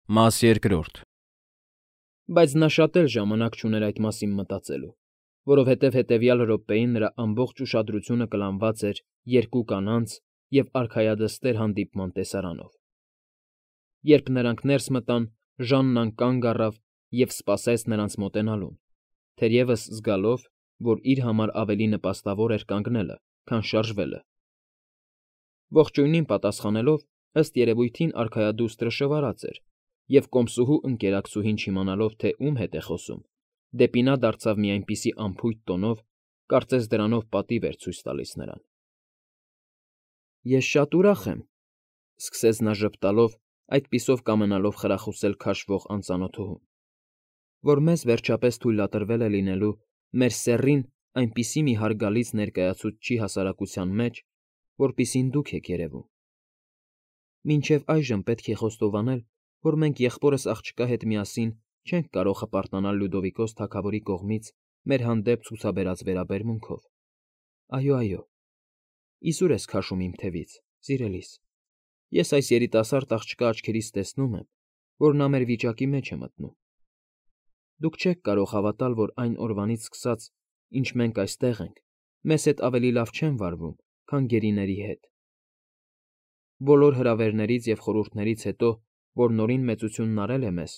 Մաս երկրորդ։ Բայց նա շատ էլ ժամանակ չուներ այդ մասին մտածելու, որովհետև հետևյալ րոպեին նրա ամբողջ ուշադրությունը կլանված էր երկու կանանց և արքայադստեր հանդիպման տեսարանով։ Երբ նրանք ներս մտան, Ժաննան կանգ առավ և սպասեց նրանց մոտենալուն, թերևս զգալով, որ իր համար ավելի նպաստավոր էր կանգնելը, քան շարժվելը։ Ողջույնին պատասխանելով, ըստ երևույթին արքայադուստրը շվարած էր և կոմսուհու ընկերակցուհին չիմանալով, թե ում հետ է խոսում, դեպի նա դարձավ մի այնպիսի անփույթ տոնով, կարծես դրանով պատիվ էր ցույց տալիս նրան։ Ես շատ ուրախ եմ,֊ սկսեց նա ժպտալով, այդպիսով կամենալով խրախուսել քաշվող անծանոթուհուն,֊ որ մեզ վերջապես թույլատրվել է լինելու մեր սեռին այնպիսի մի հարգալից ներկայացուցչի հասարակության մեջ, որպիսին դուք եք երևում։ Մինչև այժմ պետք է խոստովանել, որ մենք եղբորս աղջկա հետ միասին չենք կարող հպարտանալ Լյուդովիկոս թագավորի կողմից մեր հանդեպ ցուցաբերած վերաբերմունքով։ Այո, իզուր ես քաշում իմ թևից, սիրելիս, ես այս երիտասարդ աղջկա աչքերից տեսնում եմ, որ նա մեր վիճակի մեջ է մտնում։ Դուք չեք կարող հավատալ, որ այն օրվանից սկսած, ինչ մենք այստեղ ենք, մեզ հետ ավելի լավ չեն վարվում, քան գերիների հետ։ Բոլոր հրավերներից և խորհուրդներից հետո, որ Նորին մեծությունն արել է մեզ,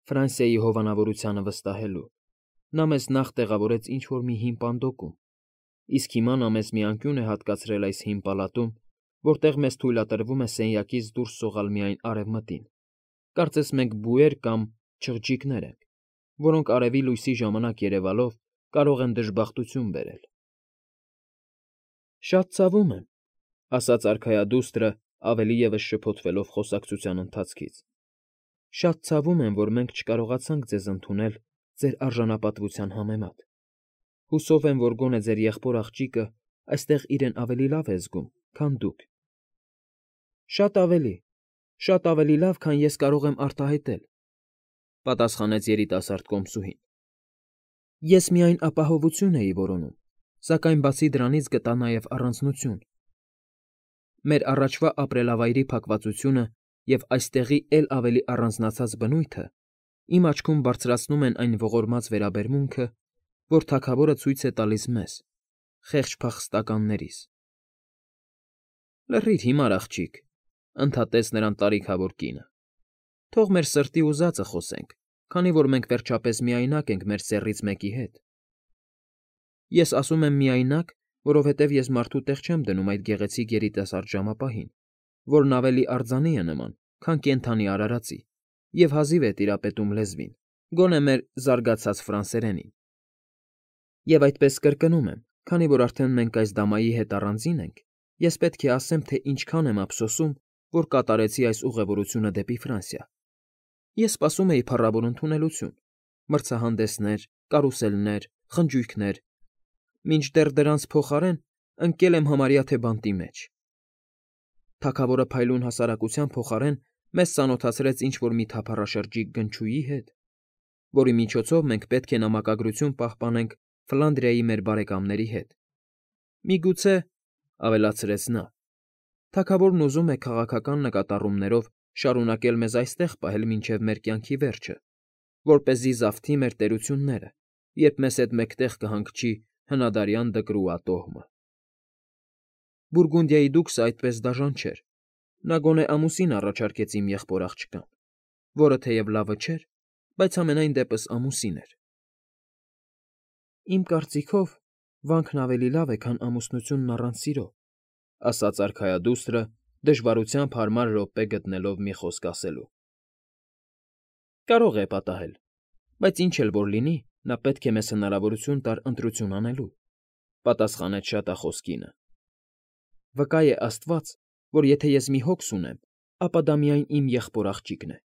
Ֆրանսիայի հովանավորությանը վստահելու, նա մեզ նախ տեղավորեց ինչ֊որ մի հին պանդոկում, իսկ հիմա նա մեզ մի անկյուն է հատկացրել այս հին պալատում, որտեղ մեզ թույլատրվում է սենյակից դուրս սողալ միայն արևմտին, կարծես մենք բույեր կամ չղջիկներ ենք, որոնք արևի լույսի ժամանակ երևալով կարող են դժբախտություն բերել։ Շատ ցավում եմ,֊ ասաց արքայադուստրը, ավելի ևս շփոթվելով խոսակցության ընթացքից,֊ շատ ցավում եմ, որ մենք չկարողացանք ձեզ ընդունել ձեր արժանապատվության համեմատ։ Հուսով եմ, որ գոնե ձեր եղբոր աղջիկը այստեղ իրեն ավելի լավ է զգում, քան դուք։ Շատ ավելի լավ, քան ես կարող եմ արտահայտել,֊ պատասխանեց երիտասարդ կոմսուհին։ Ես միայն ապահովություն էի որոնում, սակայն բացի դրանից գտա նաև առանձնություն։ Մեր առաջվա ապրելավայրի փակվածությունը և այստեղի էլ ավելի առանձնացած բնույթը իմ աչքում բարձրացնում են այն ողորմած վերաբերմունքը, որ թագավորը ցույց է տալիս մեզ՝ խեղճ փախստականներիս։ Լռիր, հիմար աղջիկ,֊ ընդհատեց նրան տարիքավոր կինը,֊ թող մեր սրտի ուզածը խոսենք, քանի որ մենք վերջապես միայնակ ենք մեր սեռից մեկի հետ։ Ես ասում եմ միայնակ, որովհետև ես մարդու տեղ չեմ դնում այդ գեղեցիկ երիտասարդ ժամապահին, որն ավելի արձանի է նման, քան կենդանի արարածի, և հազիվ է տիրապետում լեզվին, գոնե մեր զարգացած ֆրանսերենին։ Եվ այդպես կրկնում եմ, քանի որ արդեն մենք այս դամայի հետ առանձին ենք, ես պետք է ասեմ, թե ինչքան եմ ափսոսում, որ կատարեցի այս ուղևորությունը դեպի Ֆրանսիա։ Ես սպասում էի փառավոր ընդունելություն, մրցահանդեսներ, կարուսելներ, խնջույքներ, մինչդեռ դրանց փոխարեն ընկել եմ համարյա թե բանտի մեջ։ Թագավորը փայլուն հասարակության փոխարեն մեզ ծանոթացրեց ինչ֊որ մի թափառաշրջիկ գնչուի հետ, որի միջոցով մենք պետք է նամակագրություն պահպանենք Ֆլանդրիայի մեր բարեկամների հետ։ Միգուցե,֊ ավելացրեց նա,֊ թագավորն ուզում է քաղաքական նկատառումներով շարունակել մեզ այստեղ պահել մինչև մեր կյանքի վերջը, որպեսզի զավթի մեր տերությունները, երբ մեզ հետ մեկտեղ կհանգչի հնադարյան Դկրուատոհմը։ Բուրգունդիայի դուքսը այդպես դաժան չէր, նա գոնե ամուսին առաջարկեց իմ եղբոր աղջկան, որը թեև լավը չէր, բայց համենայն դեպս ամուսին էր։ Իմ կարծիքով, վանքն ավելի լավ է, քան ամուսնությունն առանց սիրո,֊ ասաց արքայադուստրը, դժվարությամբ հարմար րոպե գտնելով մի խոսք ասելու։ Կարող է պատահել, բայց ինչ էլ որ լինի, նա պետք է մեզ հնարավորություն տար ընտրություն անելու,֊ պատասխանեց շատախոս կինը։ Վկա է աստված, որ եթե ես մի հոգս ունեմ, ապա դա միայն իմ եղբոր աղջիկն է։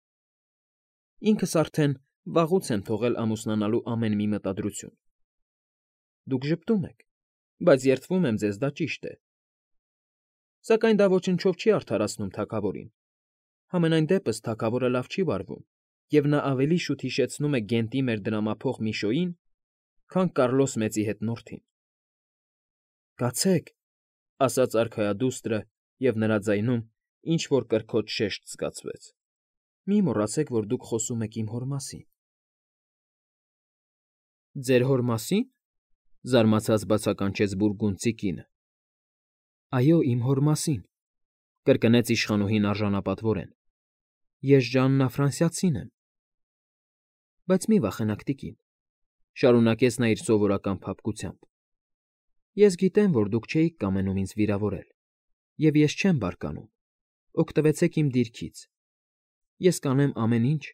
Ինքս արդեն վաղուց եմ թողել ամուսնանալու ամեն մի մտադրություն։ Դուք ժպտում եք, բայց երդվում եմ ձեզ, դա ճիշտ է։ Սակայն դա ոչնչով չի արդարացնում թագավորին։ Համենայն դեպս թագավորը լավ չի վարվում, և նա ավելի շուտ հիշեցնում է Գենտի մեր դրամափոխ Միշոյին, քան Կարլոս Մեծի հետնորդին։ Կացեք,֊ ասաց արքայադուստրը, և նրա ձայնում ինչ֊որ կրքոտ շեշտ զգացվեց։ Մի մոռացեք, որ դուք խոսում եք իմ հոր մասին։ Ձեր հոր մասի՞ն,֊ զարմացած բացականչեց բուրգունդցի կինը։ Այո, իմ հոր մասին,֊ կրկնեց իշխանուհին արժանապատվորեն։ Ես Ժաննա Ֆրանսիացին եմ։ Բայց մի վախենաք, տիկին,֊ շարունակեց նա իր սովորական փափկությամբ։ Ես գիտեմ, որ դուք չէիք կամենում ինձ վիրավորել, և ես չեմ բարկանում։ Օգտվեցեք իմ դիրքից։ Ես կանեմ ամեն ինչ,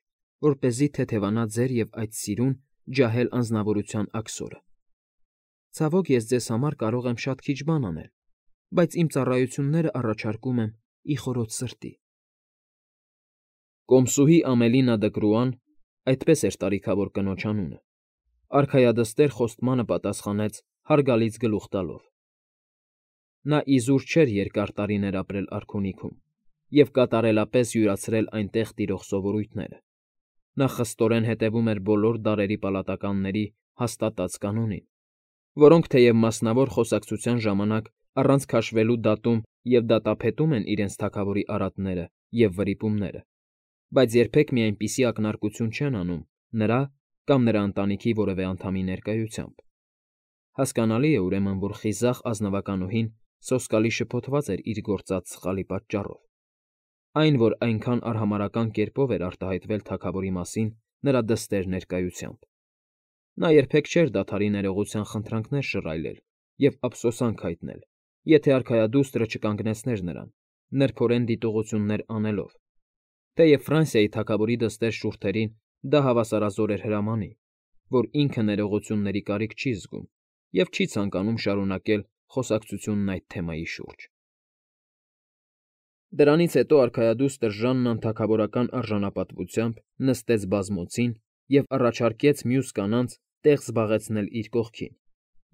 որպեսզի թեթևանա ձեր և այդ սիրուն, ջահել անձնավորության աքսորը։ Ցավոք, ես ձեզ համար կարող եմ շատ քիչ բան անել, բայց իմ ծառայությունները առաջարկում եմ ի խորոց սրտի։ Կոմսուհի Ամելինա Դկրուան, այդպես էր տարիքավոր կնոջ անունը, արքայադստեր խոստմանը պատասխանեց հարգալից գլուխ տալով։ Նա իզուր չէր երկար տարիներ ապրել արքունիքում և կատարելապես յուրացրել այնտեղ տիրող սովորույթները։ Նա խստորեն հետևում էր բոլոր դարերի պալատականների հաստատած կանոնին, որոնք թեև մասնավոր խոսակցության ժամանակ առանց քաշվելու դատում և դատապետում են իրենց թագավորի արատները և վրիպումները, բայց երբեք մի այնպիսի ակնարկություն չեն անում նրա կամ նրա ընտանիքի որևէ անդամի ներկայությամբ։ Հասկանալի է, ուրեմն, որ խիզախ ազնվականուհին սոսկալի շփոթված էր իր գործած սխալի պատճառով։ Այն, որ այնքան արհամարհական կերպով էր արտահայտվել թագավորի մասին նրա դստեր ներկայությամբ։ Նա երբեք չէր դադարի ներողության խնդրանքներ շռայլել և ափսոսանք հայտնել, եթե արքայադուստրը չկանգնեցներ նրան, նրբորեն դիտողություններ անելով, թեև Ֆրանսիայի թագավորի դստեր շուրթերին դա հավասարազոր էր հրամանի, որ ինքը ներողությունների կարիք չի զգում և չի ցանկանում շարունակել խոսակցությունն այդ թեմայի շուրջ։ Դրանից հետո արքայադուստր Ժաննան թագավորական արժանապատվությամբ նստեց բազմոցին և առաջարկեց մյուս կանանց տեղ զբաղեցնել իր կողքին,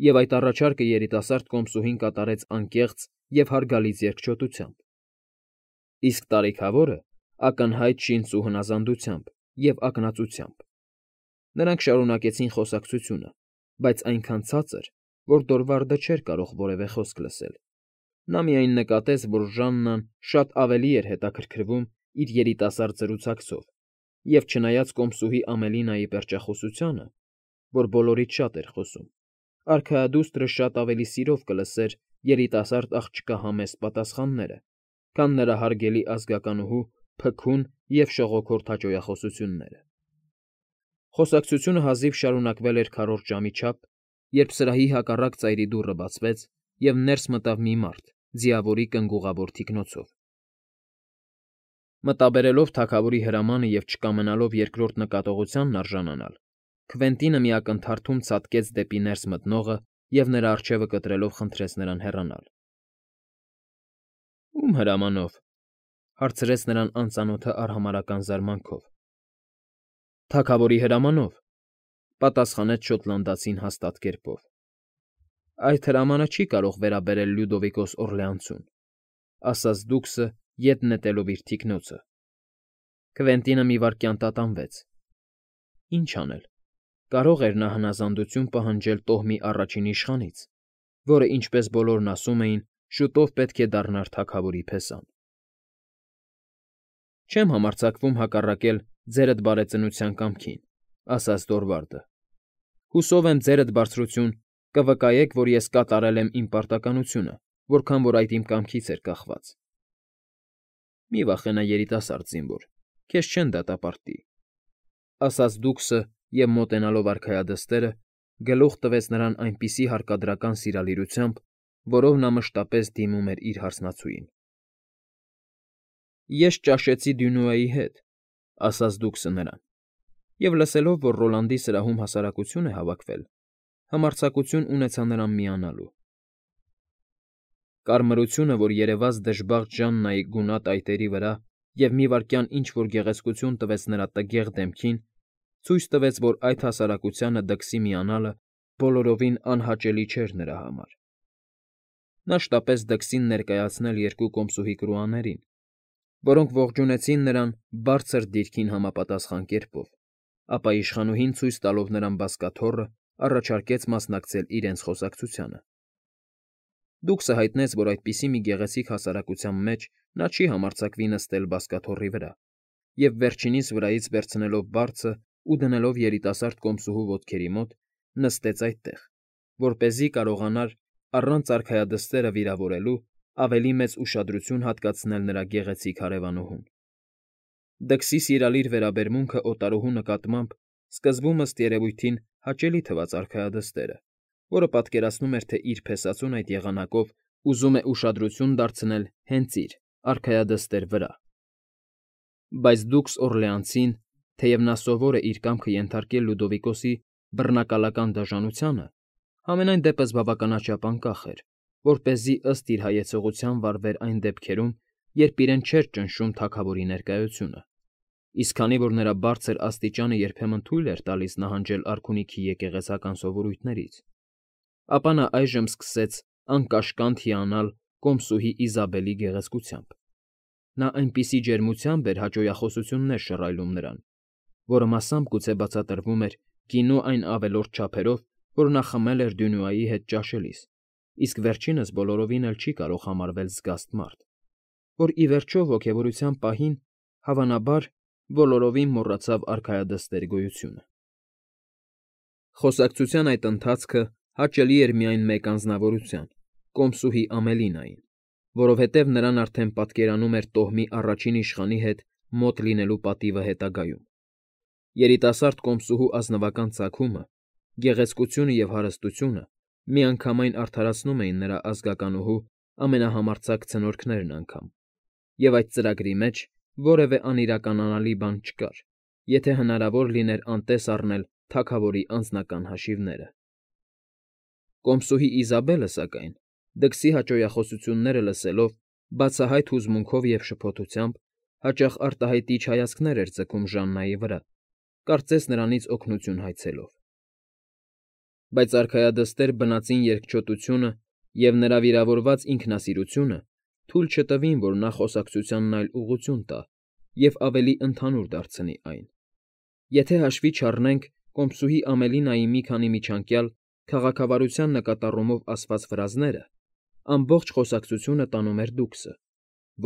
և այդ առաջարկը երիտասարդ կոմսուհին կատարեց անկեղծ և հարգալից երկչոտությամբ։ Իսկ տարիքավորը ակնհայտ շինծ ու հնազանդությամբ և ակնածությամբ։ Նրանք շարունակեցին խոսակցությունը, բայց այնքան ցածր, որ Դորվարդը չէր կարող որևէ խոսք լսել։ Նա միայն նկատեց, որ Ժաննան շատ ավելի էր հետաքրքրվում իր երիտասարդ զրուցակցով, և չնայած կոմսուհի Ամելինայի պերճախոսությանը, որ բոլորից շատ էր խոսում, արքայադուստրը շատ ավելի սիրով կլսեր երիտասարդ աղջկա համեստ պատասխանները, քան նրա հարգելի ազգականուհու փքուն և շողոքորթ հաճոյախոսությունները։ Խոսակցությունը հազիվ շարունակվել էր քառորդ ժամի չափ, երբ սրահի հակառակ ծայրի դուռը բացվեց, և ներս մտավ մի մարդ ձիավորի կնգուղավոր թիկնոցով։ Մտաբերելով թագավորի հրամանը և չկամենալով երկրորդ նկատողությանն արժանանալ, Քվենտինը մի ակնթարթում ցատկեց դեպի ներս մտնողը և նրա առջևը կտրելով խնդրեց նրան հեռանալ։ Ո՞ւմ հրամանով,֊ հարցրեց նրան անծանոթը արհամարհական զարմանքով։ Թագավորի հրամանով,֊ պատասխանեց շոտլանդացին հաստատ կերպով։ Այդ հրամանը չի կարող վերաբերել Լյուդովիկոս Օռլեանցուն,֊ ասաց դուքսը, ետ նետելով իր թիկնոցը։ Քվենտինը մի վայրկյան տատանվեց։ Ինչ անել։ Կարող էր նա հնազանդություն պահանջել տոհմի առաջին իշխանից, որը, ինչպես բոլորն ասում էին, շուտով պետք է դառնար թագավորի փեսան։ Չեմ համարձակվում հակառակել ձերդ բարեծնության կամքին,֊ ասաց Դորվարդը։ Հուսով եմ, ձերդ բարձրություն կվկայեք, որ ես կատարել եմ իմ պարտականությունը, որքան որ այդ իմ կամքից էր կախված։ Մի վախենա, երիտասարդ զինվոր, քեզ չեն դատապարտի,֊ ասաց դուքսը և, մոտենալով արքայադստերը, գլուխ տվեց նրան այնպիսի հարկադրական սիրալիրությամբ, որով նա մշտապես դիմում էր իր հարսնացուին։ Ես ճաշեցի Դյունուայի հետ,֊ ասաց դուքսը նրան, և լսելով, որ Ռոլանդի սրահում հասարակություն է հավաքվել, համարձակություն ունեցա նրան միանալու։ Կարմրությունը, որ երևաց դժբախտ Ժաննայի գունատ այտերի վրա և մի վայրկյան ինչ֊որ գեղեցկություն տվեց նրա տգեղ դեմքին, ցույց տվեց, որ այդ հասարակությանը դքսի միանալը բոլորովին անհաճելի չէր նրա համար։ Նա շտապեց դքսին ներկայացնել երկու կոմսուհի կրուաներին, որոնք ողջունեցին նրան բարձր դիրքին համապատասխան կերպով, ապա իշխանուհին, ցույց տալով նրան բազկաթոռը, առաջարկեց մասնակցել իրենց խոսակցությանը։ Դուքսը հայտնեց, որ այդպիսի մի գեղեցիկ հասարակության մեջ նա չի համարձակվի նստել բազկաթոռի վրա, և վերջինիս վրայից վերցնելով բարձը ու դնելով երիտասարդ կոմսուհու ոտքերի մոտ, նստեց այդտեղ, որպեսզի կարողանար առանց արքայադստերը վիրավորելու ավելի մեծ ուշադրություն հատկացնել նրա գեղեցիկ հարևանուհուն։ Դքսի սիրալիր վերաբերմունքը օտարուհու նկատմամբ սկզբում ըստ երևույթին հաճելի թվաց արքայադստերը, որը պատկերացնում էր, թե իր փեսացուն այդ եղանակով ուզում է ուշադրություն դարձնել հենց իր արքայադստեր վրա։ Բայց դուքս Օրլեանցին, թեև նա սովոր է իր կամքը ենթարկել Լյուդովիկոսի բռնակալական դաժանությանը, համենայն դեպս բավականաչափ անկախ էր, որպեսզի ըստ իր հայեցողության վարվեր այն դեպքերում, երբ իրեն չէր ճնշում թագավորի ներկայությունը, իսկ քանի որ նրա բարձր աստիճանը երբեմն թույլ էր տալիս նահանջել արքունիքի եկեղեցական սովորույթներից, ապա նա այժմ սկսեց անկաշկանդ հիանալ կոմսուհի Իզաբելի գեղեցկությամբ։ Նա այնպիսի ջերմությամբ էր հաճոյախոսություններ շռայլում նրան, որը մասամբ գուցե բացատրվում էր գինու այն ավելորդ չափերով, որ նա խմել էր Դյունուայի հետ ճաշելիս, իսկ վերջինս բոլորովին էլ չի կարող համարվել զգաստ մարդ, որ ի վերջո ոգևորության պահին, հավանաբար, բոլորովին մոռացավ արքայադստեր գոյությունը։ Խոսակցության այդ ընթացքը հաճելի էր միայն մեկ անձնավորության՝ կոմսուհի Ամելինային, որովհետև նրան արդեն պատկերանում էր տոհմի առաջին իշխանի հետ մոտ լինելու պատիվը հետագայում։ Երիտասարդ կոմսուհու ազնվական ծագումը, գեղեցկությունը և հարստությունը միանգամայն արդարացնում էին նրա ազգականուհու ամենահամարձակ ցնորքներն անգամ, և այդ ծրագրի մեջ որևէ անիրականանալի բան չկար, եթե հնարավոր լիներ անտես առնել թագավորի անձնական հաշիվները։ Կոմսուհի Իզաբելը, սակայն, դքսի հաճոյախոսությունները լսելով, բացահայտ հուզմունքով և շփոթությամբ, հաճախ արտահայտիչ հայացքներ էր ձգում Ժաննայի վրա, կարծես նրանից օգնություն հայցելով։ Բայց արքայադստեր բնածին երկչոտությունը և նրա վիրավորված ինքնասիրությունը թույլ չտվին, որ նա խոսակցությանն այլ ուղղություն տա և ավելի ընդհանուր դարձնի այն։ Եթե հաշվի չառնենք կոմսուհի Ամելինայի մի քանի միջանկյալ քաղաքավարության նկատառումով ասված ֆրազները, ամբողջ խոսակցությունը տանում էր դուքսը,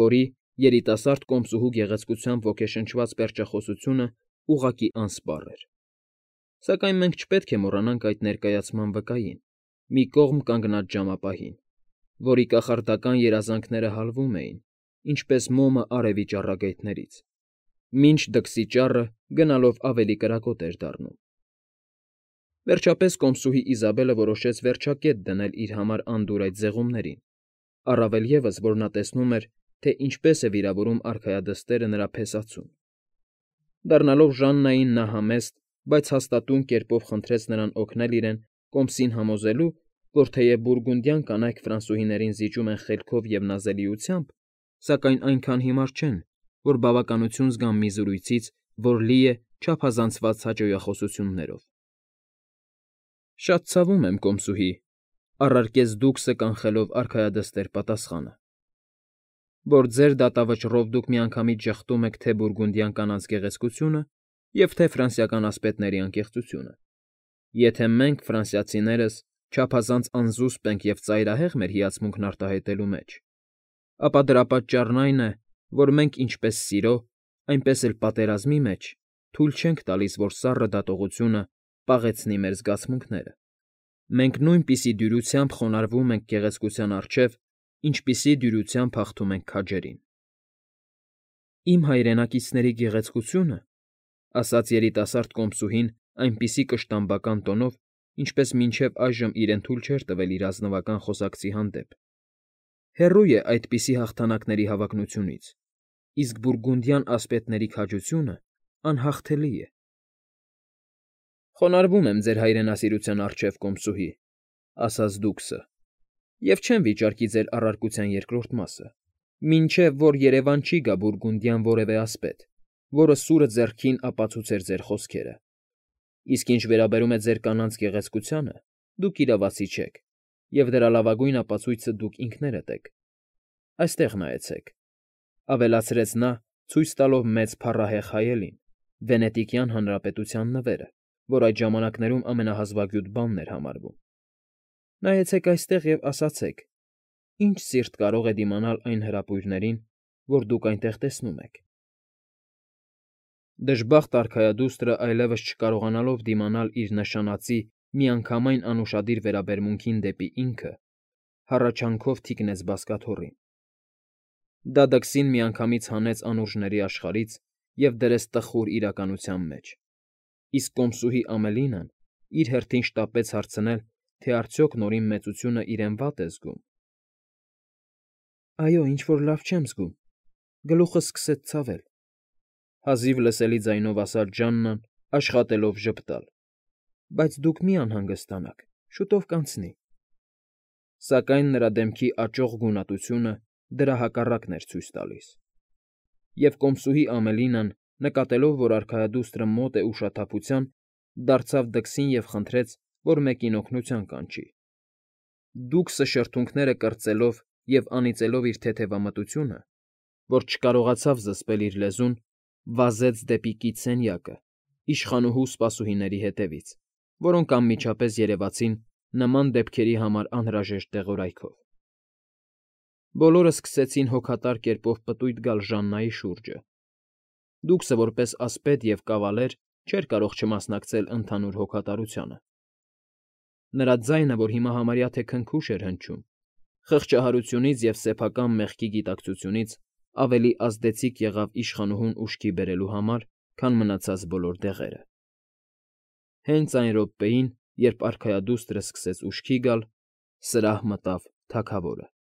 որի երիտասարդ կոմսուհու գեղեցկությամբ ոգեշնչված պերճախոսությունը ուղղակի անսպառ էր։ Սակայն մենք չպետք է մոռանանք այդ ներկայացման վկային՝ մի կողմ կանգնած ժամապահին, որի կախարդական երազանքները հալվում էին, ինչպես մոմը արևի ճառագայթներից, մինչ դքսի ճառը գնալով ավելի կրակոտ էր դառնում։ Վերջապես կոմսուհի Իզաբելը որոշեց վերջակետ դնել իր համար անդուր այդ զեղումներին, առավել ևս, որ նա տեսնում էր, թե ինչպես է վիրավորում արքայադստերը նրա փեսացուն։ Դառնալով Ժաննային նա համեստ, բայց հաստատուն կերպով խնդրեց նրան օգնել իրեն կոմսին համոզելու, որ թեև բուրգունդյան կանայք ֆրանսուհիներին զիջում են խելքով և նազելիությամբ, սակայն այնքան հիմար չեն, որ բավականություն զգան մի զրույցից, որ լի է չափազանցված հաճոյախոսություններով։ Շատ ցավում եմ, կոմսուհի, առարկեց դուքսը կանխելով արքայադստեր պատասխանը, որ ձեր դատավճռով դուք միանգամից ժխտում եք թե բուրգունդյան կանանց գեղեցկությունը և թե ֆրանսիական ասպետների անկեղծությունը։ Եթե մենք, ֆրանսիացիներս, չափազանց անզուսպ ենք և ծայրահեղ մեր հիացմունքն արտահայտելու մեջ, ապա դրա պատճառն այն է, որ մենք ինչպես սիրո, այնպես էլ պատերազմի մեջ թույլ չենք տալիս, որ սառը դատողությունը պաղեցնի մեր զգացմունքները։ Մենք նույնպիսի դյուրությամբ խոնարհվում ենք գեղեցկության առջև, ինչպիսի դյուրությամբ հաղթում ենք քաջերին։ Իմ հայրենակիցների գեղեցկությունը, ասաց երիտասարդ կոմսուհին այնպիսի կշտամբական տոնով, ինչպես մինչև այժմ իրեն թույլ չէր տվել իր ազնվական խոսակցի հանդեպ, հեռու է այդպիսի հաղթանակների հավակնությունից, իսկ բուրգունդյան ասպետների քաջությունը անհաղթելի է։ Խոնարհվում եմ ձեր հայրենասիրության առջև, կոմսուհի, ասաց դուքսը, և չեմ վիճարկի ձեր առարկության երկրորդ մասը, մինչև որ երևան չի գա բուրգունդյան որևէ ասպետ, որը սուրը ձեռքին ապացուցեր ձեր խոսքերը։ Իսկ ինչ վերաբերում է ձեր կանանց գեղեցկությանը, դուք իրավացի չեք, և դրա լավագույն ապացույցը դուք ինքներդ եք։ Այստեղ նայեցեք,֊ ավելացրեց նա, ցույց տալով մեծ փառահեղ հայելին, Վենետիկյան Հանրապետության նվերը, որ այդ ժամանակներում ամենահազվագյուտ բանն էր համարվում։ Նայեցեք այստեղ և ասացեք, ինչ սիրտ կարող է դիմանալ այն հրապույրներին, որ դուք այնտեղ տեսնում եք։ Դժբախտ արքայադուստրը այլևս չկարողանալով դիմանալ իր նշանածի միանգամայն անուշադիր վերաբերմունքին դեպի ինքը, հառաչանքով թիկնեց բազկաթոռին։ Դա դքսին միանգամից հանեց անուրջների աշխարհից և դրեց տխուր իրականության մեջ, իսկ կոմսուհի Ամելինան իր հերթին շտապեց հարցնել, թե արդյոք Նորին մեծությունը իրեն վատ է զգում։ Այո, ինչ֊որ լավ չեմ զգում, գլուխս սկսեց ցավել, հազիվ լսելի ձայնով ասաց Ժաննան, աշխատելով ժպտալ, բայց դուք մի անհանգստանաք, շուտով կանցնի։ Սակայն նրա դեմքի աճող գունատությունը դրա հակառակն էր ցույց տալիս։ Եվ կոմսուհի Ամելինան, նկատելով, որ արքայադուստրը մոտ է ուշաթափության, դարձավ դքսին և խնդրեց, որ մեկին օգնության կանչի։ Դուքսը շրթունքները կրծելով և անիծելով իր թեթևամտությունը, որ չկարողացավ զսպել իր լեզուն, վազեց դեպի կից սենյակը, իշխանուհու սպասուհիների հետևից, որոնք անմիջապես երևացին նման դեպքերի համար անհրաժեշտ դեղորայքով։ Բոլորը սկսեցին հոգատար կերպով պտույտ գալ Ժաննայի շուրջը։ Դուքսը որպես ասպետ և կավալեր չէր կարող չմասնակցել ընդհանուր հոգատարությանը։ Նրա ձայնը, որ հիմա համարյա թե քնքուշ էր հնչում, խղճահարությունից և սեփական մեղքի գիտակցությունից ավելի ազդեցիկ եղավ իշխանուհուն ուշքի բերելու համար, քան մնացած բոլոր դեղերը։ Հենց այն րոպեին, երբ արքայադուստրը սկսեց ուշքի գալ, սրահ մտավ թագավորը։